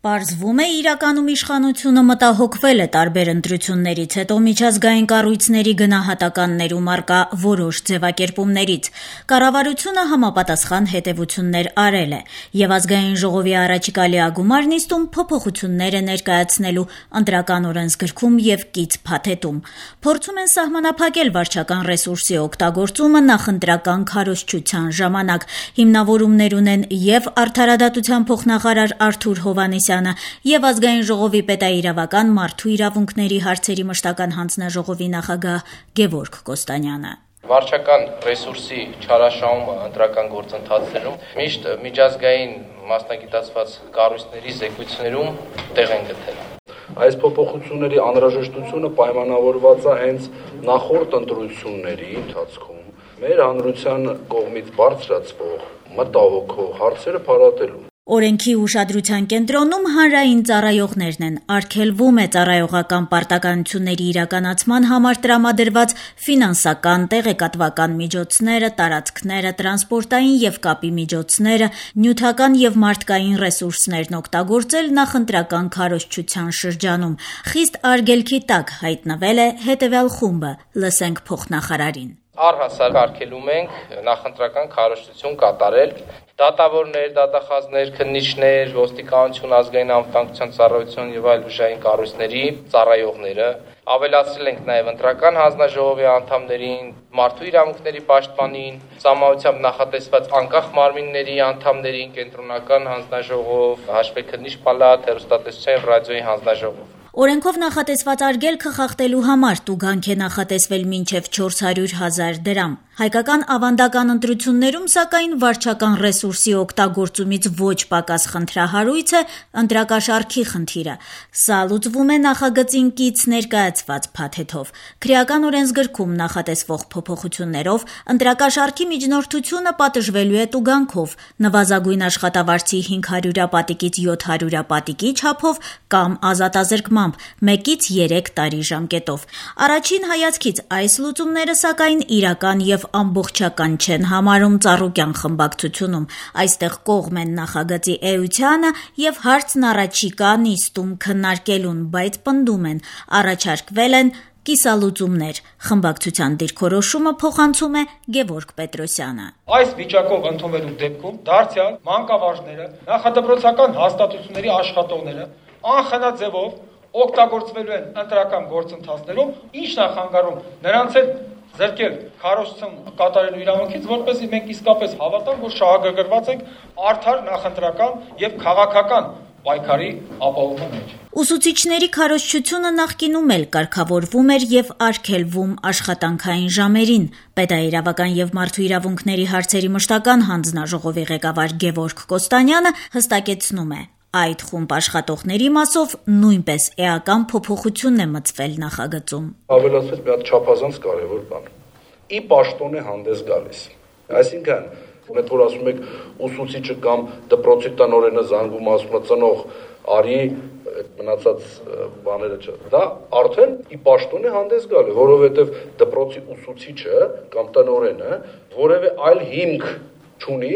Պարզվում է, իրականում իշխանությունը մտահոգվել է տարբեր ընտրություններից հետո միջազգային կառույցների գնահատականներում առկա որոշ ձևակերպումներից։ Կառավարությունը համապատասխան հետևություններ արել է եւ Ազգային ժողովի առաջիկա լիագումար նիստում փոփոխություններ է ներկայացնելու ընտրական օրենսգրքում եւ կից փաթեթում։ Փորձում են սահմանափակել վարչական ռեսուրսի օգտագործումը նախընտրական քարոզչության ժամանակ։ Հիմնավորումներ ունեն եւ Արդարադատության փոխնախարար Արթուր Հովհաննիսյանը եւ Ազգային ժողովի պետաիրավական մարդու իրավունքների հարցերի մշտական հանձնաժողովի նախագահ Գևորգ Կոստանյանը։ Վարչական ռեսուրսի չարաշահումը ընտրական գործընթացներում միշտ միջազգային մասնագիտացված կառույցների զեկույցներում տեղ են գտել։ Այս փոփոխությունների անհրաժեշտությունը պայմանավորված է հենց նախորդ ընտրությունների ընթացքում մեր հանրության կողմից բարձրացվող մտահոգող հարցերը փարատելու։ Օրենքի ուշադրության կենտրոնում հանրային ծառայողներն են, արգելվում է ծառայողական պարտականությունների իրականացման համար տրամադրված ֆինանսական, տեղեկատվական միջոցները, տարածքները, տրանսպորտային եւ կապի միջոցները, նյութական եւ մարդկային ռեսուրսներն օգտագործել նախընտրական քարոզչության շրջանում։ Խիստ արգելքի տակ հայտնվել է հետեւյալ խումբը, լսենք փոխնախարարին։ Առհասարակ արգելում ենք նախընտրական քարոզչություն կատարել դատավորներ, դատախազներ, քննիչներ, ոստիկանություն, ազգային անվտանգության ծառայություն եւ այլ ուժային կառույցների ծառայողները։ Ավելացրել ենք նաեւ ընտրական հանձնաժողովի անդամներին, մարդու իրավունքների պաշտպանին, սահմանությամբ նախատեսված անկախ մարմինների անդամներին, կենտրոնական հանձնաժողով, հաշվեկնիչ պալատ, հեռուստատեսության եւ ռադիոյի հանձնաժողով։ Օրենքով նախատեսված արգելքը խախտելու համար տուգանք է նախատեսվել մինչև 400,000 դրամ։ Հայկական ավանդական ընտրություններում, սակայն, վարչական ռեսուրսի օգտագործումից ոչ պակաս խնդրահարույց է ընտրակաշառքի խնդիրը։ Սա լուծվում է նախագծին կից ներկայացված փաթեթով։ Քրեական օրենսգրքում նախատեսվող փոփոխություններով ընտրակաշառքի միջնորդությունը պատժվելու է տուգանքով, նվազագույն աշխատավարձի 500 պատիկից 700 պատիկի չափով կամ ազատազրկմամբ 1-ից 3 տարի ժամկետով։ Առաջին հայացքից այս լուծումները, սակայն, իրական եւ ամբողջական չեն համարում Ծառուկյան խմբակցությունում։ Այստեղ կողմ են նախագծի էությանը եւ հարցն առաջիկա նիստում քննարկելուն, բայց պնդում են, առաջարկվել են կիսալուծումներ։ Խմբակցության դիրքորոշումը փոխանցում է Գևորգ Պետրոսյանը։ Այս վիճակով ընդունվելու դեպքում դարձյալ մանկավարժները, նախադպրոցական հաստատությունների աշխատողները անխնա ձևով օգտագործվելու են ընտրական գործընթացներում, ինչն է խանգարում նրանց հետ զրկել քարոզչություն կատարելու իրավունքից, որպեսզի մենք իսկապես հավատանք, որ շահագրգռված ենք արդար նախընտրական եւ քաղաքական պայքարի ապահովման մեջ։ Ուսուցիչների քարոզչությունը նախկինում էլ կարգավորվում էր եւ արգելվում աշխատանքային ժամերին։ Պետաիրավական եւ մարդու իրավունքների հարցերի մշտական հանձնաժողովի ղեկավար Գևորգ Կոստանյանը հստակեցնում է. այդ խումբ աշխատողների մասով նույնպես էական փոփոխություն է մտցվել նախագծում։ Ավելացվեց մի հատ չափազանց կարևոր բան։ Ի պաշտոն է հանդես գալիս։ Այսինքն, մենք որ ասում ենք ուսուցիչը կամ դպրոցի տնօրենը զանգում ասում է ծնող արի մնացած բաները չէ։ Դա արդեն ի պաշտոն է հանդես գալի, որովհետև դպրոցի ուսուցիչը կամ տնօրենը որևէ այլ հիմք չունի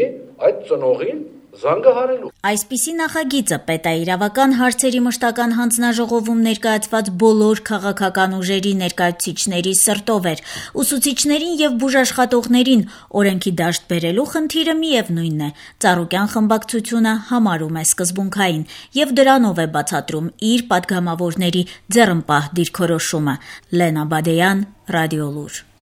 այդ ծնողին զանգահարելու։ Այսպիսի նախագիծը պետաիրավական հարցերի մշտական հանձնաժողովում ներկայացված բոլոր քաղաքական ուժերի ներկայացուցիչների սրտով էր։ Ուսուցիչներին եւ բուժաշխատողներին օրենքի դաշտ բերելու խնդիրը միևնույնն է։ Ծառուկյան խմբակցությունը համարում է սկզբունքային եւ դրանով է բացատրում իր падգամավորների ձեռնպահ դիրքորոշումը։ Լենա Բադեյան, Ռադիոլուր։